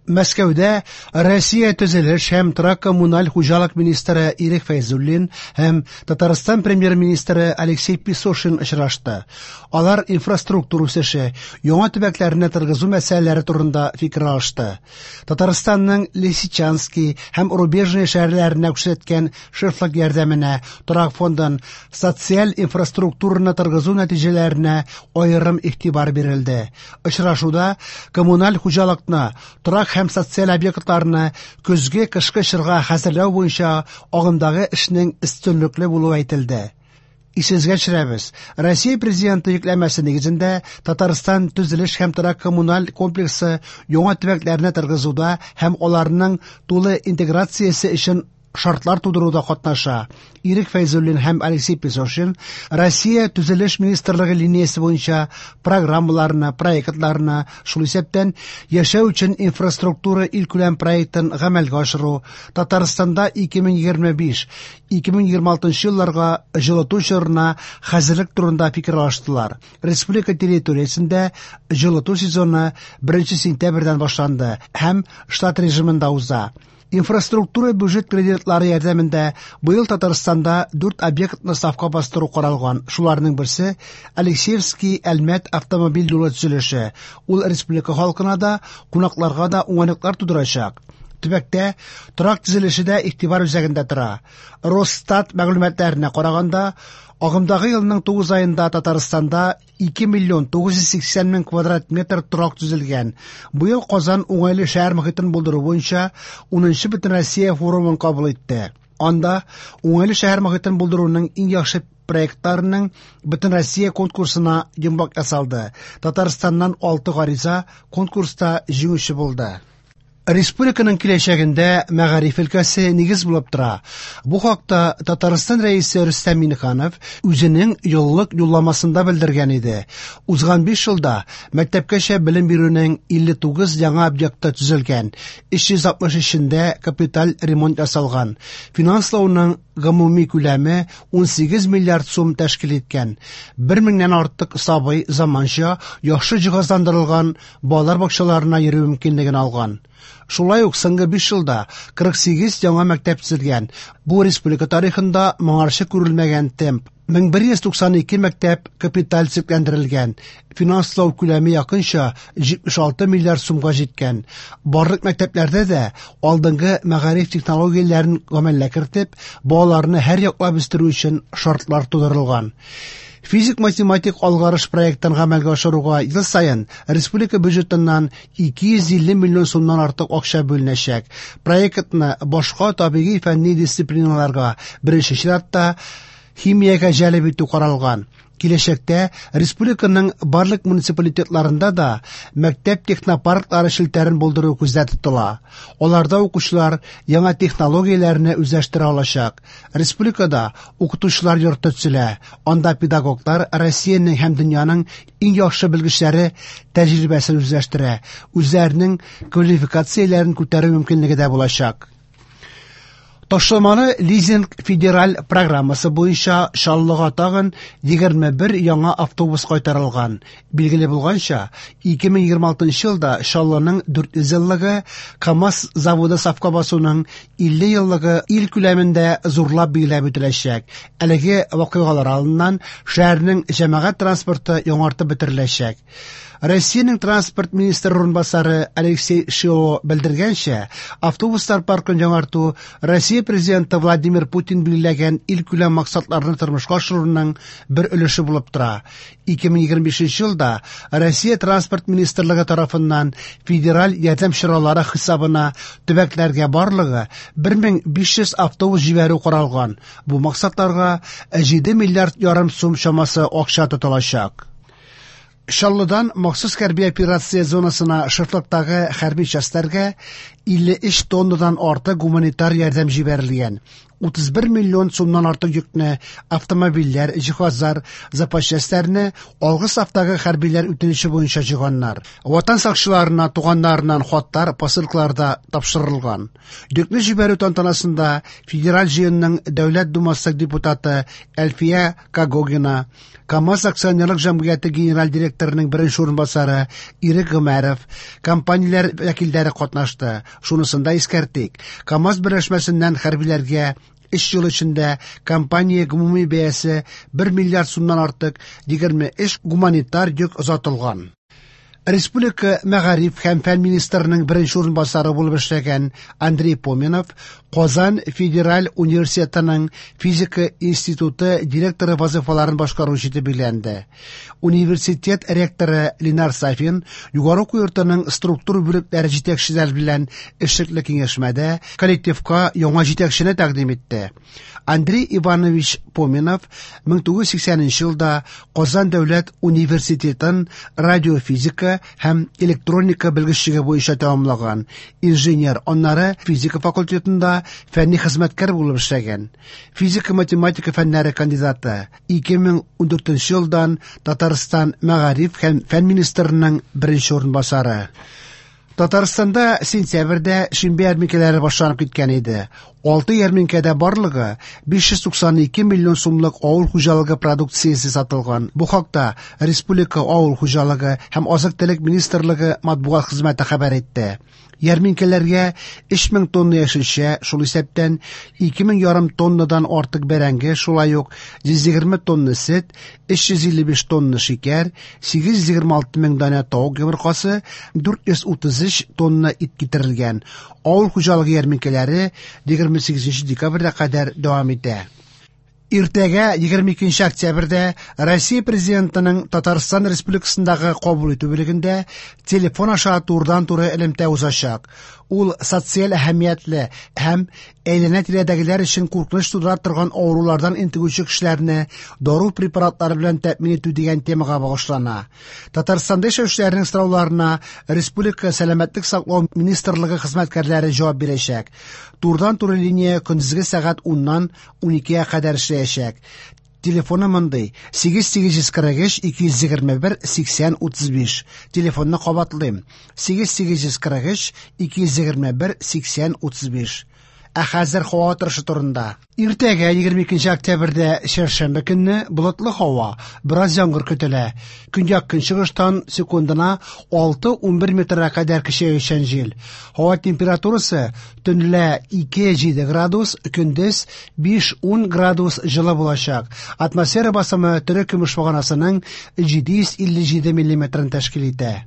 Мәскәүдә Россия төзелеш һәм торак-коммуналь хуҗалык министры Ирек Фәйзуллин һәм Татарстан премьер-министры Алексей Песошин очрашты. Алар инфраструктура үсеше, яңа төбәкләрне торгызу мәсьәләләре турында фикер алышты. Татарстанның Лисичанский һәм Рубежное шәһәрләренә күрсәткән шефлык ярдәменә, торак фондын, социаль инфраструктураны торгызу нәтиҗәләренә аерым игътибар бирелде. Очрашуда коммуналь хуҗалыкны, торак һәм социаль объектларны көзге-кышкы чорга хәзерләү буенча агымдагы эшнең өстенлекле булуы әйтелде. Исегезгә төшерәбез, Россия Президенты йөкләмәсе нигезендә Татарстан төзелеш һәм торак коммуналь комплексы яңа төбәкләрне торгызуда һәм аларның тулы интеграциясе өчен шартлар тудыруда катнаша. Ирек Фәйзуллин һәм Алексей Песошин Россия төзелеш министрлыгы линиясе буенча программаларны, проектларны, шул исәптән яшәү өчен инфраструктура илкүләм проектын гамәлгә ашыру, Татарстанда 2025-2026 елларга җылыту чорына хәзерлек турында фикер алыштылар. Республика территориясендә җылыту сезоны 1 сентябрьдән башланды һәм штат режимында уза. Инфраструктура бюджет кредитлары ярдәмендә быел Татарстанда 4 объектны сафка бастыру каралган. Шуларның берсе Алексеевский Әлмәт автомобиль юлы төзелеше. Ул республика халкына да, кунакларга да уңайлыклар тудырачак. Төбәктә торак төзелеше дә игътибар үзәгендә тора. Росстат мәгълүматларына караганда, агымдагы елның 9 аенда Татарстанда 2 миллион 980 мең квадрат метр торак төзелгән. Быел Казан уңайлы шәһәр мохитен булдыру буенча 10нчы Бөтенроссия форумын кабул итте. Анда уңайлы шәһәр мохитен булдыруның иң яхшы проектларының Бөтенроссия конкурсына йомгак ясалды. Татарстаннан 6 гариза конкурста җиңүче булды. Республиканың киләчәгендә мәгариф өлкәсе нигез булып тора. Бу хакта Татарстан Рәисе Рөстәм Миңнеханов үзенең еллык юлламасында белдергән иде. Узган 5 елда мәктәпкәчә белем бирүнең 59 яңа объекты төзелгән, 363-ендә капиталь ремонт ясалган. Финанслауның гомуми күләме 18 миллиард сум тәшкил иткән. 1 меңнән артык сабый заманча, яхшы җиһазландырылган балалар бакчаларына йөрү мөмкинлеген алган. Шулай ук соңгы 5 елда 48 яңа мәктәп төзелгән. Бу республика тарихында моңарчы күрелмәгән темп. 1192 мәктәп капиталь төзекләндерелгән. Финанслау күләме якынча 76 миллиард сумга җиткән. Барлык мәктәпләрдә дә алдынгы мәгариф технологияләрен гамәлгә кертеп, балаларны һәр яклап үстерү өчен шартлар тудырылган. Физик-математик алгарыш проектын гамәлгә ашыруга ел саен республика бюджетыннан 250 миллион сумнан артык акча бүленәчәк. Проектны башка табигый фәнни дисциплиналарга, беренче чиратта химиягә җәлеп итү каралган. Киләчәктә республиканың барлык муниципалитетларында да мәктәп технопарклары челтәрен булдыру күздә тотыла. Аларда укучылар яңа технологияләрне үзләштерә алачак. Республикада укытучылар йорты төзелә. Анда педагоглар Россиянең һәм дөньяның иң яхшы белгечләре тәҗрибәсен үзләштерә. Үзләренең квалификацияләрен күтәрү мөмкинлеге дә булачак. Ташламалы лизинг федераль программасы буенча Чаллыга тагын 21 яңа автобус кайтарылган. Билгеле булганча, 2026 елда Чаллының 400 еллыгы, КАМАЗ заводы сафка басуның 50 еллыгы ил күләмендә зурлап билгеләп үтеләчәк. Әлеге вакыйгалар алдыннан шәһәрнең җәмәгать транспорты яңартып бетереләчәк. Россиянең транспорт министры урынбасары Алексей Шило белдергәнчә, автобуслар паркын яңарту Россия президенты Владимир Путин билгеләгән илкүләм максатларны тормышка ашыруның бер өлеше булып тора. 2025 елда Россия транспорт министрлыгы тарафыннан федераль ярдәм чаралары хисабына төбәкләргә барлыгы 1500 автобус җибәрү каралган. Бу максатларга 7 миллиард ярым сум чамасы акча тотылачак. Чаллыдан махсус хәрби операция зонасына шефлыктагы хәрби частьләргә 53 тоннадан артык гуманитар ярдәм җибәрелгән. 31 миллион сумнан артык йөкне, автомобильләр, җиһазлар, запас частьләрне алгы сафтагы хәрбиләр үтенече буенча җыйганнар. Ватан сакчыларына туганнарыннан хатлар, посылкалар да тапшырылган. Йөкне җибәрү тантанасында Федераль җыенның Дәүләт Думасы депутаты Әлфия Когогина, КАМАЗ акционерлык җәмгыяте генераль директорының беренче урынбасары Ирек Гомәров, компанияләр вәкилләре катнашты. Шунысын да искәртик, КАМАЗ берләшмәсеннән хәрбиләргә 3 ел эчендә компания гомуми бәясе 1 миллиард сумнан артык 23 гуманитар йөк озатылган. Республика мәгариф һәм фән министрының беренче урынбасары булып эшләгән Андрей Поминов Казан федераль университетының физика институты директоры вазыйфаларын башкаручы итеп билгеләнде. Университет ректоры Ленар Сафин югары уку йортының структура бүлекләре җитәкчеләре белән эшлекле киңәшмәдә коллективка яңа җитәкчене тәкъдим итте. Андрей Иванович Поминов 1980 елда Казан дәүләт университетын радиофизика һәм электроника белгечлеге буенча тәмамлаган. Инженер, аннары физика факультетында фәнни хезмәткәр булып эшләгән. Физика-математика фәннәре кандидаты. 2014 елдан Татарстан мәгариф һәм фән министрының беренче урынбасары. Татарстанда сентябрьдә шимбә ярминкәләре башланып киткән иде. 6 ярминкәдә барлыгы 592 миллион сумлык авыл хуҗалыгы продукциясе сатылган. Бу хакта Республика авыл хуҗалыгы һәм азык-төлек министрлыгы матбугат хезмәте хәбәр итте. Ярминкәләргә 3000 тонна яшелчә, шул исәптән 2500 тоннадан артык бәрәңге, шулай ук 120 тонна сөт, 355 тонна шикәр, 826 мең данә тавык йомыркасы, 433 тонна ит китерелгән. Авыл хуҗалыгы ярминкәләре 28 декабрьгә кадәр дәвам итә. Иртәгә 22 октябрьдә Россия Президентының Татарстан Республикасындагы кабул итү бүлегендә телефон аша турыдан-туры элемтә узачак. Ул социаль әһәмиятле һәм әйләнә-тирәдәгеләр өчен куркыныч тудыра торган авырулардан интегүче кешеләрне дару препаратлары белән тәэмин итү дигән темага багышлана. Татарстанда яшәүчеләрнең сорауларына Республика сәламәтлек саклау министрлыгы хезмәткәрләре җавап бирәчәк. Турыдан-туры линия көндезге сәгать 10-нан 12-гә кадәр эшләячәк. Телефоны мондый: 8843 221 80 35. Телефонны кабатлыйм: 8843 221 80 35. Ә хәзер һава торышы турында. Иртәгә 22 октябрьдә чәршәмбе көнне болытлы һава, бераз яңгыр көтелә. Көньяк-көнчыгыштан секундына 6-11 метрга кадәр көчәючән җил. Һава температурасы төнлә 2-7 градус, көндез 5-10 градус җылы булачак. Атмосфера басымы тере көмеш баганасының 757 миллиметрын тәшкил итә.